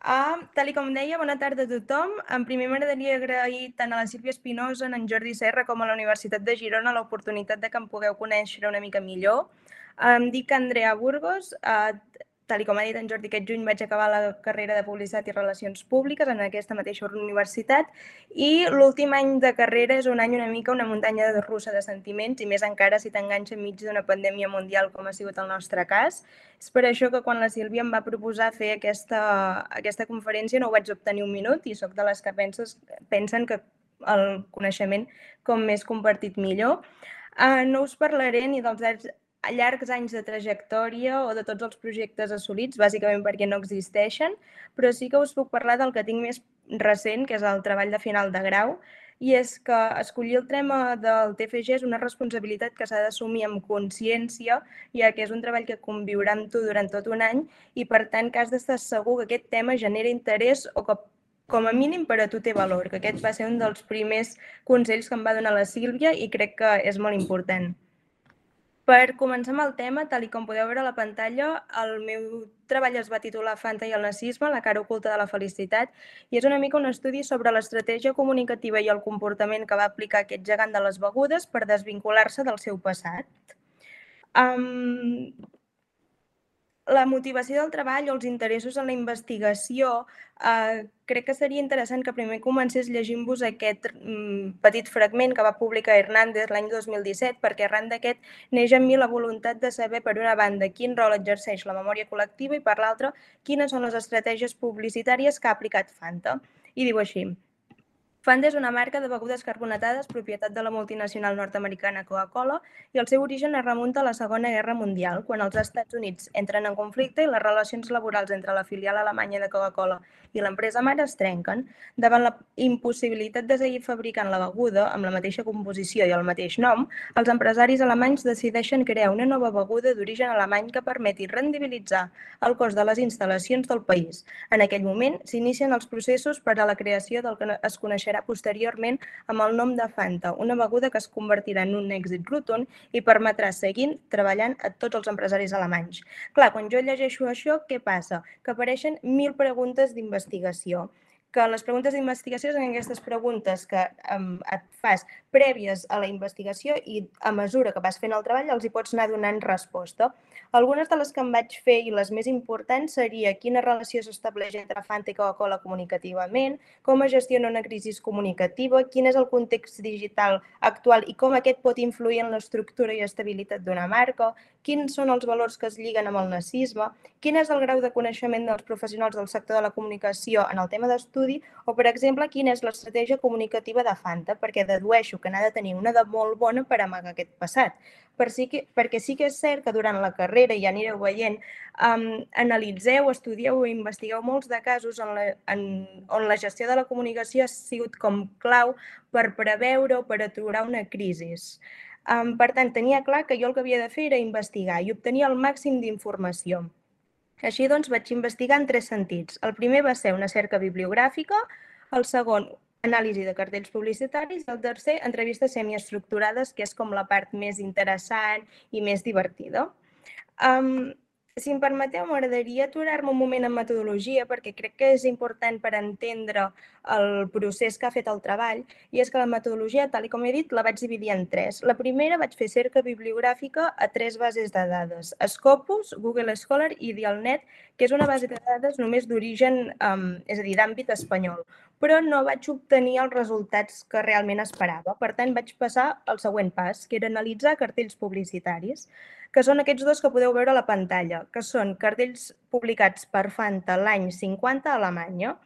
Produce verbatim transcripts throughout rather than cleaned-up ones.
Ah, tal i com deia, bona tarda a tothom. En primer m'agradaria agrair tant a la Sílvia Espinosa, a en Jordi Serra, com a la Universitat de Girona l'oportunitat de que em pugueu conèixer una mica millor. Em dic Andrea Burgos, eh, tal i com ha dit en Jordi, aquest juny vaig acabar la carrera de Publicitat i Relacions Públiques en aquesta mateixa universitat i l'últim any de carrera és un any una mica una muntanya russa de sentiments i més encara si t'enganxa enmig d'una pandèmia mundial com ha sigut el nostre cas. És per això que quan la Sílvia em va proposar fer aquesta, aquesta conferència no ho vaig obtenir un minut i sóc de les que penses, pensen que el coneixement com més compartit millor. Uh, no us parlaré ni dels llargs anys de trajectòria o de tots els projectes assolits, bàsicament perquè no existeixen, però sí que us puc parlar del que tinc més recent, que és el treball de final de grau, i és que escollir el tema del T F G és una responsabilitat que s'ha d'assumir amb consciència, ja que és un treball que conviurà amb tu durant tot un any i, per tant, que has d'estar segur que aquest tema genera interès o que com a mínim per a tu té valor, que aquest va ser un dels primers consells que em va donar la Sílvia i crec que és molt important. Per començar amb el tema, tal com podeu veure a la pantalla, el meu treball es va titular Fanta i el nazisme, la cara oculta de la felicitat, i és una mica un estudi sobre l'estratègia comunicativa i el comportament que va aplicar aquest gegant de les begudes per desvincular-se del seu passat. Um, la motivació del treball o els interessos en la investigació, eh, crec que seria interessant que primer comencés llegint-vos aquest mm, petit fragment que va publicar Hernández l'any dos mil disset, perquè arran d'aquest neix en mi la voluntat de saber, per una banda, quin rol exerceix la memòria col·lectiva i, per l'altra, quines són les estratègies publicitàries que ha aplicat Fanta. I diu així: Fanta és una marca de begudes carbonatades propietat de la multinacional nord-americana Coca-Cola i el seu origen es remunta a la Segona Guerra Mundial, quan els Estats Units entren en conflicte i les relacions laborals entre la filial alemanya de Coca-Cola i l'empresa mare es trenquen. Davant la impossibilitat de seguir fabricant la beguda amb la mateixa composició i el mateix nom, els empresaris alemanys decideixen crear una nova beguda d'origen alemany que permeti rendibilitzar el cost de les instal·lacions del país. En aquell moment s'inicien els processos per a la creació del que es coneixerà posteriorment amb el nom de Fanta, una beguda que es convertirà en un èxit rotund i permetrà seguir treballant a tots els empresaris alemanys. Clar, quan jo llegeixo això, què passa? Que apareixen mil preguntes d'investigació, que les preguntes d'investigació són aquestes preguntes que um, et fas prèvies a la investigació i a mesura que vas fent el treball els hi pots anar donant resposta. Algunes de les que em vaig fer i les més importants seria quina relació s'estableix entre Fanta i Coca-Cola comunicativament, com es gestiona una crisi comunicativa, quin és el context digital actual i com aquest pot influir en l'estructura i estabilitat d'una marca, quins són els valors que es lliguen amb el nazisme, quin és el grau de coneixement dels professionals del sector de la comunicació en el tema d'estudi o, per exemple, quina és l'estratègia comunicativa de Fanta, perquè dedueixo que n'ha de tenir una de molt bona per amagar aquest passat. Per sí que, perquè sí que és cert que durant la carrera, ja anireu veient, um, analitzeu, estudieu i investigueu molts de casos en la, en, on la gestió de la comunicació ha sigut com clau per preveure o per aturar una crisi. Um, per tant, tenia clar que jo el que havia de fer era investigar i obtenir el màxim d'informació. Així doncs, vaig investigar en tres sentits. El primer va ser una cerca bibliogràfica, el segon, anàlisi de cartells publicitaris, i el tercer, entrevistes semiestructurades, que és com la part més interessant i més divertida. Um, si em permeteu, m'agradaria aturar-me un moment en metodologia perquè crec que és important per entendre el procés que ha fet el treball, i és que la metodologia, tal com he dit, la vaig dividir en tres. La primera vaig fer cerca bibliogràfica a tres bases de dades: Scopus, Google Scholar i Dialnet, que és una base de dades només d'origen, um, és a dir, d'àmbit espanyol, però no vaig obtenir els resultats que realment esperava. Per tant, vaig passar al següent pas, que era analitzar cartells publicitaris, que són aquests dos que podeu veure a la pantalla, que són cartells publicats per Fanta l'any cinquanta a Alemanya.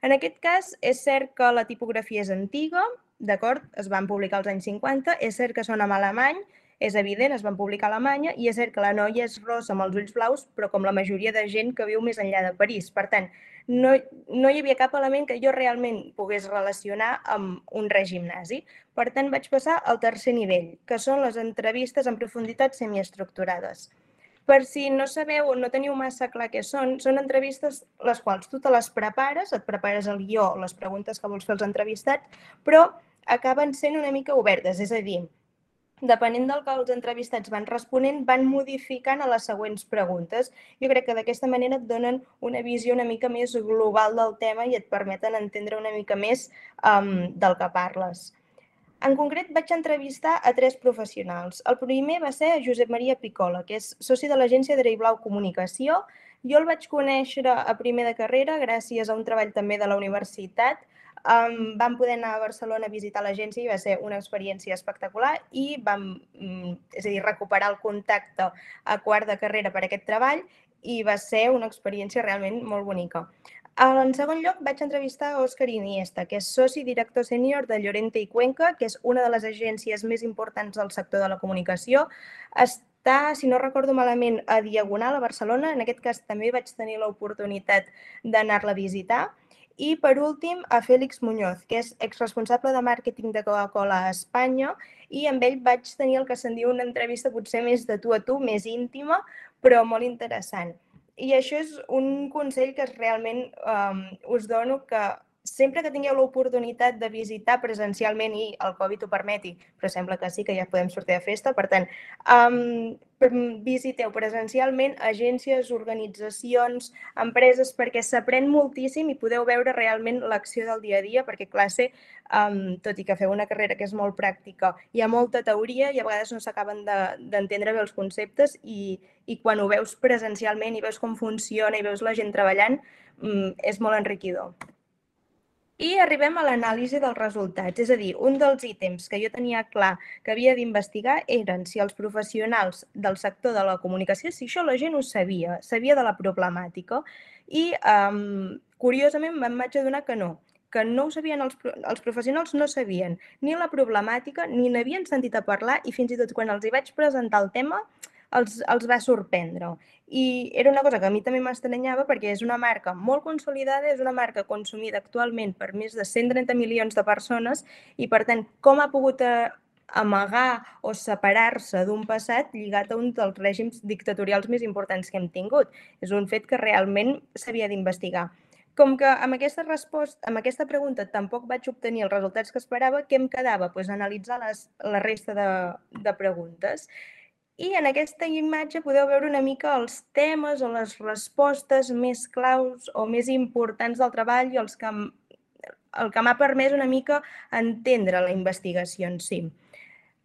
En aquest cas, és cert que la tipografia és antiga, d'acord, es van publicar als anys cinquanta, és cert que són en alemany, és evident, es van publicar a Alemanya, i és cert que la noia és rossa amb els ulls blaus, però com la majoria de gent que viu més enllà de París. Per tant, no, no hi havia cap element que jo realment pogués relacionar amb un règim nazi. Per tant, vaig passar al tercer nivell, que són les entrevistes en profunditat semiestructurades. Per si no sabeu o no teniu massa clar què són, són entrevistes les quals tu te les prepares, et prepares el guió, les preguntes que vols fer als entrevistats, però acaben sent una mica obertes, és a dir, depenent del que els entrevistats van responent, van modificant a les següents preguntes. Jo crec que d'aquesta manera et donen una visió una mica més global del tema i et permeten entendre una mica més um, del que parles. En concret, vaig entrevistar a tres professionals. El primer va ser Josep Maria Picola, que és soci de l'agència Dreiblau Comunicació. Jo el vaig conèixer a primer de carrera gràcies a un treball també de la universitat. Um, vam poder anar a Barcelona a visitar l'agència i va ser una experiència espectacular i vam, és a dir, recuperar el contacte a quart de carrera per aquest treball i va ser una experiència realment molt bonica. En segon lloc, vaig entrevistar a Òscar Iniesta, que és soci director sènior de Llorente i Cuenca, que és una de les agències més importants del sector de la comunicació. Està, si no recordo malament, a Diagonal, a Barcelona. En aquest cas també vaig tenir l'oportunitat d'anar-la a visitar. I, per últim, a Félix Muñoz, que és exresponsable de màrqueting de Coca-Cola a Espanya, i amb ell vaig tenir el que se'n diu una entrevista potser més de tu a tu, més íntima, però molt interessant. I això és un consell que realment um, us dono, que sempre que tingueu l'oportunitat de visitar presencialment i el Covid ho permeti, però sembla que sí, que ja podem sortir de festa, per tant, um, visiteu presencialment agències, organitzacions, empreses, perquè s'aprèn moltíssim i podeu veure realment l'acció del dia a dia, perquè classe, um, tot i que feu una carrera que és molt pràctica, hi ha molta teoria i a vegades no s'acaben d'entendre bé els conceptes i, i quan ho veus presencialment i veus com funciona i veus la gent treballant, um, és molt enriquidor. I arribem a l'anàlisi dels resultats, és a dir, un dels ítems que jo tenia clar que havia d'investigar eren si els professionals del sector de la comunicació, si això la gent ho sabia, sabia de la problemàtica i, um, curiosament, me'n vaig adonar que no, que no ho sabien els, els professionals, no sabien ni la problemàtica, ni n'havien sentit a parlar i fins i tot quan els hi vaig presentar el tema, els, els va sorprendre. I era una cosa que a mi també m'estranyava perquè és una marca molt consolidada, és una marca consumida actualment per més de cent trenta milions de persones i, per tant, com ha pogut amagar o separar-se d'un passat lligat a un dels règims dictatorials més importants que hem tingut. És un fet que realment s'havia d'investigar. Com que amb aquesta resposta, amb aquesta pregunta tampoc vaig obtenir els resultats que esperava, què em quedava? Pues analitzar les, la resta de, de preguntes. I en aquesta imatge podeu veure una mica els temes o les respostes més claus o més importants del treball i els que, el que m'ha permès una mica entendre la investigació en si.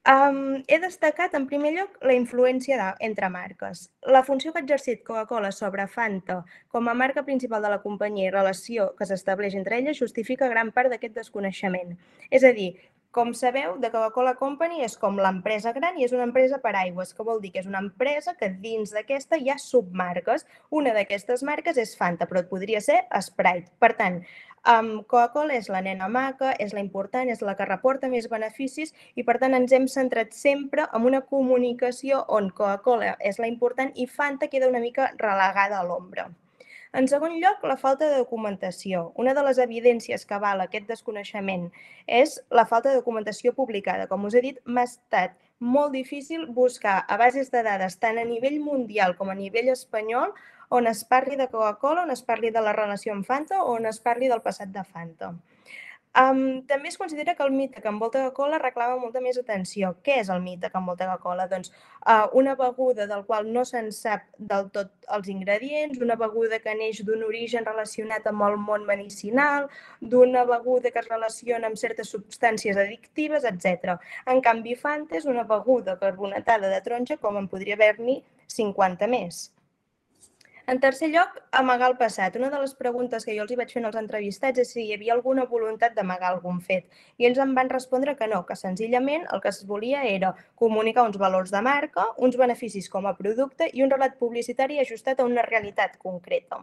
Um, he destacat, en primer lloc, la influència de, entre marques. La funció que ha exercit Coca-Cola sobre Fanta com a marca principal de la companyia i relació que s'estableix entre elles justifica gran part d'aquest desconeixement. És a dir, com sabeu, The Coca-Cola Company és com l'empresa gran i és una empresa per aigües, que vol dir que és una empresa que dins d'aquesta hi ha submarques. Una d'aquestes marques és Fanta, però podria ser Sprite. Per tant, um, Coca-Cola és la nena maca, és la important, és la que reporta més beneficis i, per tant, ens hem centrat sempre en una comunicació on Coca-Cola és la important i Fanta queda una mica relegada a l'ombra. En segon lloc, la falta de documentació. Una de les evidències que avala aquest desconeixement és la falta de documentació publicada. Com us he dit, m'ha estat molt difícil buscar a bases de dades tant a nivell mundial com a nivell espanyol on es parli de Coca-Cola, on es parli de la relació amb Fanta o on es parli del passat de Fanta. Um, també es considera que el mite que envolta Coca-Cola reclama molta més atenció. Què és el mite que envolta Coca-Cola? Doncs uh, una beguda del qual no se'n sap del tot els ingredients, una beguda que neix d'un origen relacionat amb el món medicinal, d'una beguda que es relaciona amb certes substàncies addictives, etcètera. En canvi, Fanta és una beguda carbonatada de taronja com en podria haver-n'hi cinquanta més. En tercer lloc, amagar el passat. Una de les preguntes que jo els hi vaig fer als entrevistats és si hi havia alguna voluntat d'amagar algun fet. I ells em van respondre que no, que senzillament el que es volia era comunicar uns valors de marca, uns beneficis com a producte i un relat publicitari ajustat a una realitat concreta.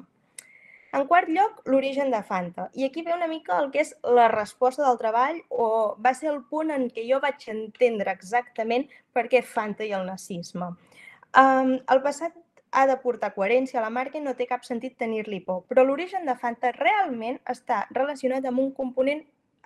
En quart lloc, l'origen de Fanta. I aquí ve una mica el que és la resposta del treball o va ser el punt en què jo vaig entendre exactament per què Fanta i el nazisme. Um, el passat ha de portar coherència a la marca i no té cap sentit tenir-li por. Però l'origen de Fanta realment està relacionat amb un component,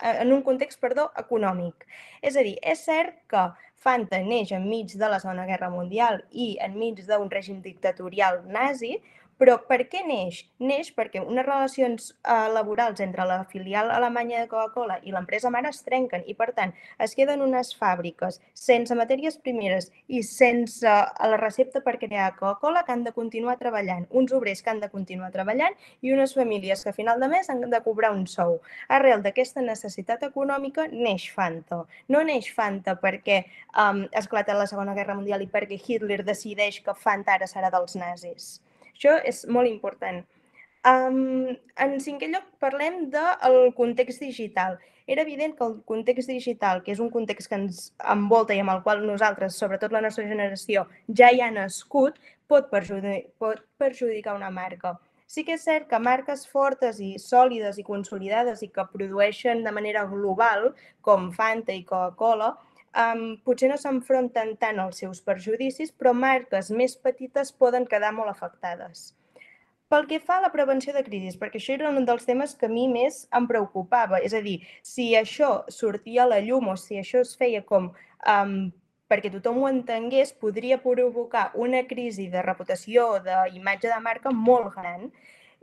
en un context, perdó, econòmic. És a dir, és cert que Fanta neix enmig de la Segona Guerra Mundial i enmig d'un règim dictatorial nazi, Però per què neix? Neix perquè unes relacions eh, laborals entre la filial alemanya de Coca-Cola i l'empresa mare es trenquen i, per tant, es queden unes fàbriques sense matèries primeres i sense la recepta per crear Coca-Cola que han de continuar treballant, uns obrers que han de continuar treballant i unes famílies que a final de mes han de cobrar un sou. Arrel d'aquesta necessitat econòmica neix Fanta. No neix Fanta perquè um, esclata la Segona Guerra Mundial i perquè Hitler decideix que Fanta ara serà dels nazis. Això és molt important. Um, en cinquè lloc, parlem del context digital. Era evident que el context digital, que és un context que ens envolta i amb el qual nosaltres, sobretot la nostra generació, ja hi ha nascut, pot, perjudicar, pot perjudicar una marca. Sí que és cert que marques fortes i sòlides i consolidades i que produeixen de manera global, com Fanta i Coca-Cola, Um, potser no s'enfronten tant als seus perjudicis, però marques més petites poden quedar molt afectades. Pel que fa a la prevenció de crisis, perquè això era un dels temes que a mi més em preocupava, és a dir, si això sortia a la llum o si això es feia com um, perquè tothom ho entengués, podria provocar una crisi de reputació o d'imatge de marca molt gran.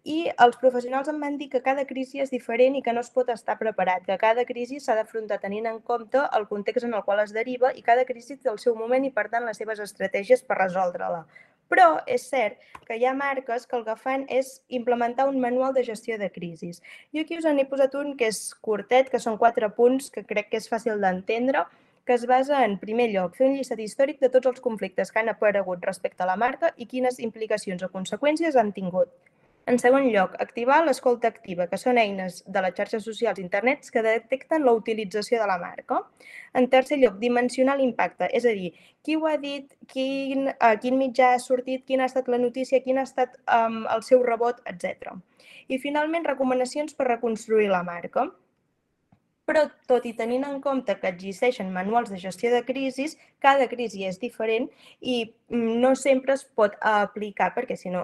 I els professionals em van dir que cada crisi és diferent i que no es pot estar preparat, que cada crisi s'ha d'afrontar tenint en compte el context en el qual es deriva i cada crisi té el seu moment i, per tant, les seves estratègies per resoldre-la. Però és cert que hi ha marques que el que fan és implementar un manual de gestió de crisis. Jo aquí us n'he posat un que és curtet, que són quatre punts que crec que és fàcil d'entendre, que es basa en, primer lloc, fer un llistat històric de tots els conflictes que han aparegut respecte a la marca i quines implicacions o conseqüències han tingut. En segon lloc, activar l'escolta activa, que són eines de les xarxes socials i internets que detecten la utilització de la marca. En tercer lloc, dimensionar l'impacte, és a dir, qui ho ha dit, quin, a quin mitjà ha sortit, quina ha estat la notícia, quin ha estat um, el seu rebot, etcètera. I finalment, recomanacions per reconstruir la marca. Però, tot i tenint en compte que existeixen manuals de gestió de crisis, cada crisi és diferent i no sempre es pot aplicar, perquè si no,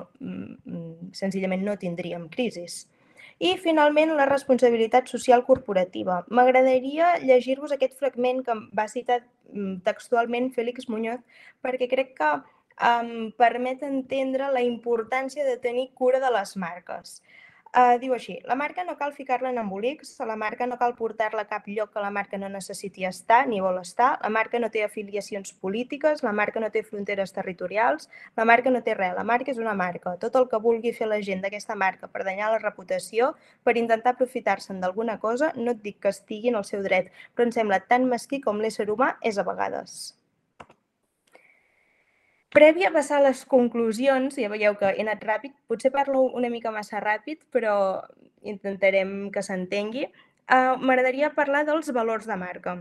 senzillament no tindríem crisis. I, finalment, la responsabilitat social corporativa. M'agradaria llegir-vos aquest fragment que va citar textualment Félix Muñoz, perquè crec que um, permet entendre la importància de tenir cura de les marques. Uh, diu així, la marca no cal ficar-la en embolics, la marca no cal portar-la a cap lloc que la marca no necessiti estar ni vol estar, la marca no té afiliacions polítiques, la marca no té fronteres territorials, la marca no té res, la marca és una marca. Tot el que vulgui fer la gent d'aquesta marca per danyar la reputació, per intentar aprofitar-se'n d'alguna cosa, no et dic que estigui en el seu dret, però em sembla tan mesquí com l'ésser humà és a vegades. Prèvia a passar a les conclusions, ja veieu que he anat ràpid, potser parlo una mica massa ràpid, però intentarem que s'entengui. Uh, M'agradaria parlar dels valors de marca.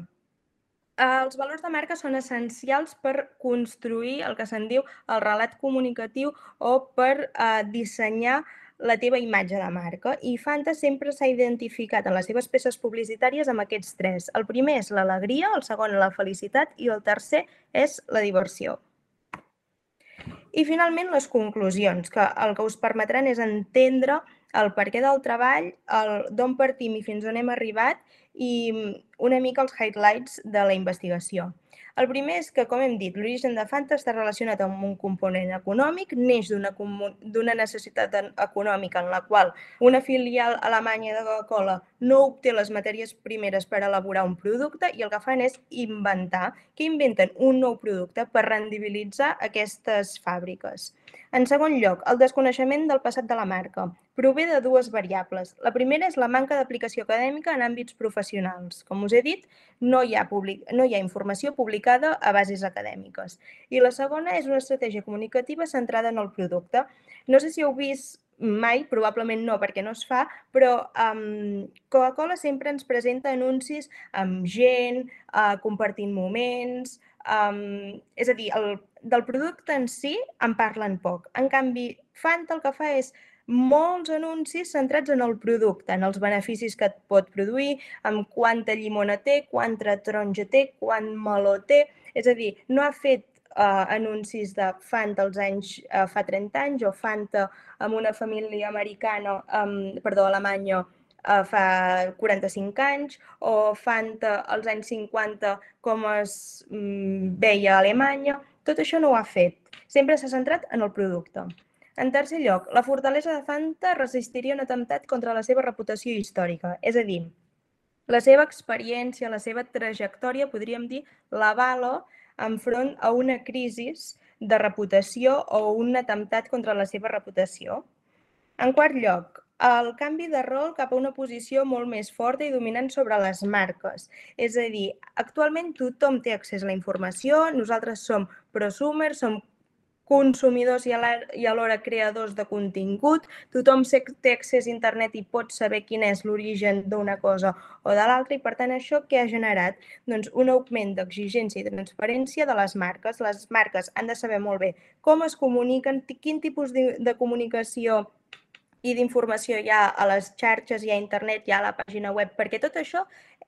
Uh, els valors de marca són essencials per construir el que se'n diu el relat comunicatiu o per uh, dissenyar la teva imatge de marca. I Fanta sempre s'ha identificat en les seves peces publicitàries amb aquests tres. El primer és l'alegria, el segon la felicitat i el tercer és la diversió. I finalment les conclusions, que el que us permetran és entendre el perquè del treball, d'on partim i fins on hem arribat i una mica els highlights de la investigació. El primer és que, com hem dit, l'origen de Fanta està relacionat amb un component econòmic, neix d'una necessitat econòmica en la qual una filial alemanya de Coca-Cola no obté les matèries primeres per elaborar un producte i el que fan és inventar, que inventen un nou producte per rendibilitzar aquestes fàbriques. En segon lloc, el desconeixement del passat de la marca. Prové de dues variables. La primera és la manca d'aplicació acadèmica en àmbits professionals. Com us he dit, no hi ha, public... no hi ha informació publicada a bases acadèmiques. I la segona és una estratègia comunicativa centrada en el producte. No sé si heu vist mai, probablement no perquè no es fa, però um, Coca-Cola sempre ens presenta anuncis amb gent, uh, compartint moments, um, és a dir, el, del producte en si en parlen poc. En canvi, Fanta el que fa és molts anuncis centrats en el producte, en els beneficis que et pot produir, amb quanta llimona té, quanta taronja té, quant meló té, és a dir, no ha fet Uh, anuncis de Fanta als anys, uh, fa trenta anys o Fanta amb una família americana, um, perdó, alemanya uh, fa quaranta-cinc anys o Fanta als anys cinquanta com es um, veia a Alemanya. Tot això no ho ha fet. Sempre s'ha centrat en el producte. En tercer lloc, la fortalesa de Fanta resistiria un atemptat contra la seva reputació històrica, és a dir, la seva experiència, la seva trajectòria, podríem dir, l'avala enfront a una crisi de reputació o un atemptat contra la seva reputació. En quart lloc, el canvi de rol cap a una posició molt més forta i dominant sobre les marques. És a dir, actualment tothom té accés a la informació, nosaltres som prosumers, som consumidors i alhora creadors de contingut, tothom té accés a internet i pot saber quin és l'origen d'una cosa o de l'altra i per tant això què ha generat? Doncs un augment d'exigència i transparència de les marques. Les marques han de saber molt bé com es comuniquen, quin tipus de comunicació i d'informació hi ha a les xarxes, hi ha a internet, hi ha a la pàgina web, perquè tot això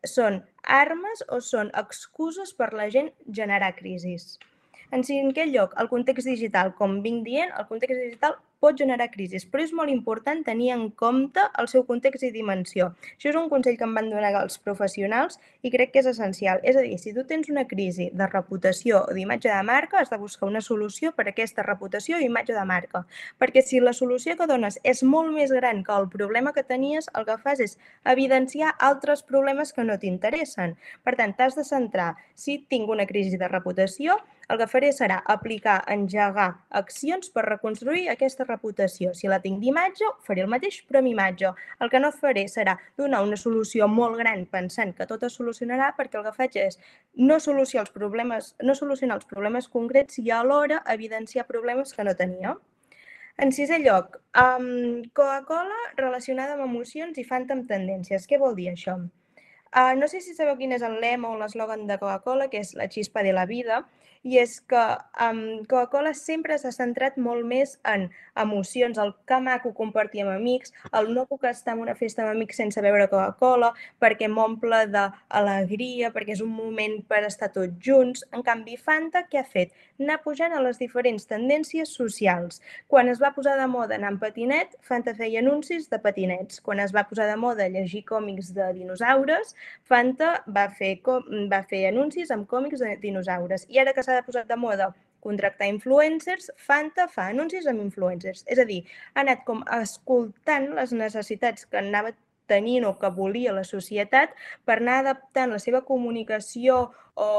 són armes o són excuses per la gent generar crisis. En cinquè lloc, el context digital. Com vinc dient, el context digital pot generar crisis, però és molt important tenir en compte el seu context i dimensió. Això és un consell que em van donar els professionals i crec que és essencial. És a dir, si tu tens una crisi de reputació o d'imatge de marca, has de buscar una solució per a aquesta reputació i imatge de marca. Perquè si la solució que dones és molt més gran que el problema que tenies, el que fas és evidenciar altres problemes que no t'interessen. Per tant, t'has de centrar. Si tinc una crisi de reputació, el que faré serà aplicar, engegar accions per reconstruir aquesta reputació. Si la tinc d'imatge, faré el mateix, però amb imatge. El que no faré serà donar una solució molt gran pensant que tot es solucionarà, perquè el que faig és no solucionar els problemes, no solucionar els problemes concrets i alhora evidenciar problemes que no tenia. En sisè lloc, um, Coca-Cola relacionada amb emocions i Fanta amb tendències. Què vol dir això? Uh, no sé si sabeu quin és el lema o l'eslògan de Coca-Cola, que és la xispa de la vida, i és que um, Coca-Cola sempre s'ha centrat molt més en emocions, el que maco compartir amb amics, el no puc estar en una festa amb amics sense beure Coca-Cola, perquè m'omple d'alegria, perquè és un moment per estar tots junts. En canvi, Fanta, què ha fet? Anar pujant a les diferents tendències socials. Quan es va posar de moda anar en patinet, Fanta feia anuncis de patinets. Quan es va posar de moda llegir còmics de dinosaures, Fanta va fer, va fer anuncis amb còmics de dinosaures. I ara que s'ha posat de moda contractar influencers, Fanta fa anuncis amb influencers. És a dir, ha anat com escoltant les necessitats que anava tenint o que volia la societat per anar adaptant la seva comunicació o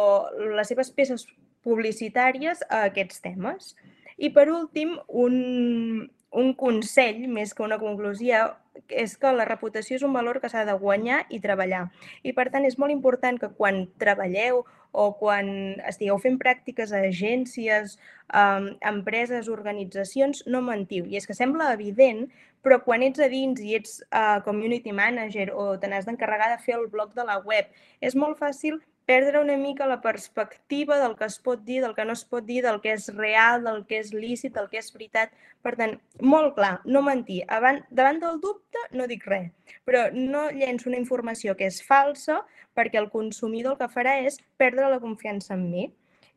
les seves peces publicitàries a aquests temes. I per últim, un, un consell, més que una conclusió, és que la reputació és un valor que s'ha de guanyar i treballar. I per tant és molt important que quan treballeu o quan estigueu fent pràctiques a agències, um, empreses, organitzacions, no mentiu. I és que sembla evident, però quan ets a dins i ets uh, community manager o te n'has d'encarregar de fer el blog de la web, és molt fàcil perdre una mica la perspectiva del que es pot dir, del que no es pot dir, del que és real, del que és lícit, del que és veritat. Per tant, molt clar, no mentir. Davant del dubte no dic res, però no llenço una informació que és falsa perquè el consumidor el que farà és perdre la confiança en mi.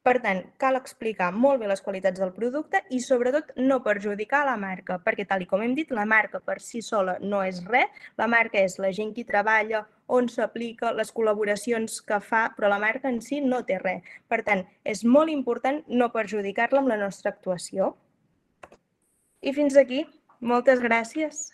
Per tant, cal explicar molt bé les qualitats del producte i sobretot no perjudicar la marca, perquè tal com hem dit, la marca per si sola no és res, la marca és la gent que hi treballa, on s'aplica, les col·laboracions que fa, però la marca en si no té res. Per tant, és molt important no perjudicar-la amb la nostra actuació. I fins aquí. Moltes gràcies.